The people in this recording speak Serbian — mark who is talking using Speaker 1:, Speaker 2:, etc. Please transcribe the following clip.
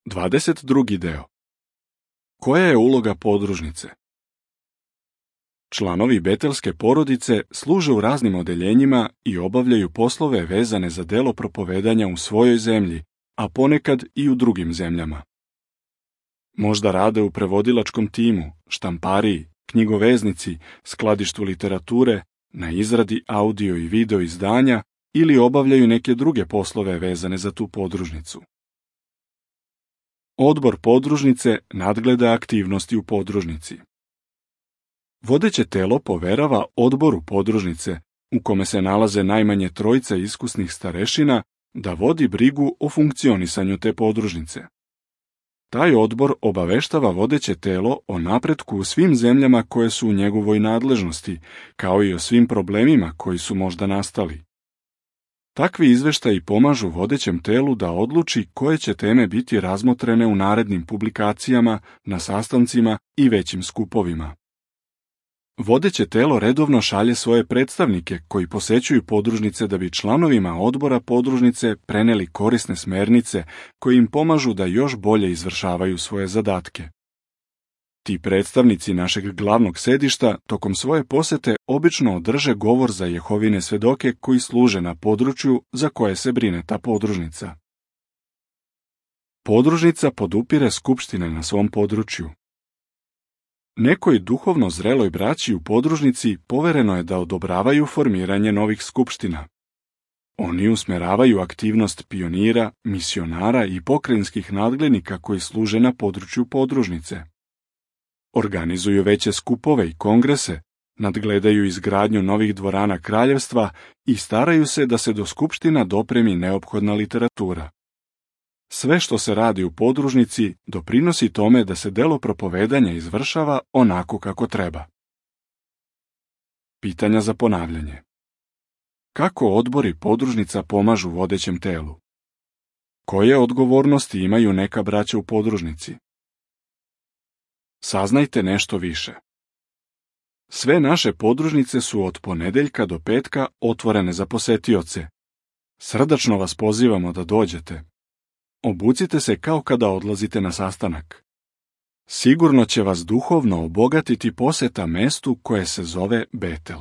Speaker 1: 22. deo. Koja je uloga podružnice? Članovi betelske porodice služe u raznim odeljenjima i obavljaju poslove vezane za delo propovedanja u svojoj zemlji, a ponekad i u drugim zemljama. Možda rade u prevodilačkom timu, štampariji, knjigoveznici, skladištu literature, na izradi audio i video izdanja ili obavljaju neke druge poslove vezane za tu podružnicu. Odbor podružnice nadgleda aktivnosti u podružnici. Vodeće telo poverava odboru podružnice, u kome se nalaze najmanje 3 iskusnih starešina, da vodi brigu o funkcionisanju te podružnice. Taj odbor obaveštava vodeće telo o napretku u svim zemljama koje su u njegovoj nadležnosti, kao i o svim problemima koji su možda nastali. Takvi izveštaji pomažu vodećem telu da odluči koje će teme biti razmotrene u narednim publikacijama, na sastancima i većim skupovima. Vodeće telo redovno šalje svoje predstavnike koji posećuju podružnice da bi članovima odbora podružnice preneli korisne smernice koje im pomažu da još bolje izvršavaju svoje zadatke. Ti predstavnici našeg glavnog sedišta tokom svoje posete obično održe govor za Jehovine svedoke koji služe na području za koje se brine ta podružnica. Podružnica podupire skupštine na svom području. Nekoj duhovno zreloj braći u podružnici povereno je da odobravaju formiranje novih skupština. Oni usmeravaju aktivnost pionira, misionara i pokrajinskih nadglednika koji služe na području podružnice. Organizuju veće skupove i kongrese, nadgledaju izgradnju novih dvorana kraljevstva i staraju se da se do skupština dopremi neophodna literatura. Sve što se radi u podružnici doprinosi tome da se delo propovedanja izvršava onako kako treba. Pitanja za ponavljanje. Kako odbori podružnica pomažu vodećem telu? Koje odgovornosti imaju neka braća u podružnici? Saznajte nešto više. Sve naše podružnice su od ponedeljka do petka otvorene za posetioce. Srdačno vas pozivamo da dođete. Obucite se kao kada odlazite na sastanak. Sigurno će vas duhovno obogatiti poseta mestu koje se zove Betel.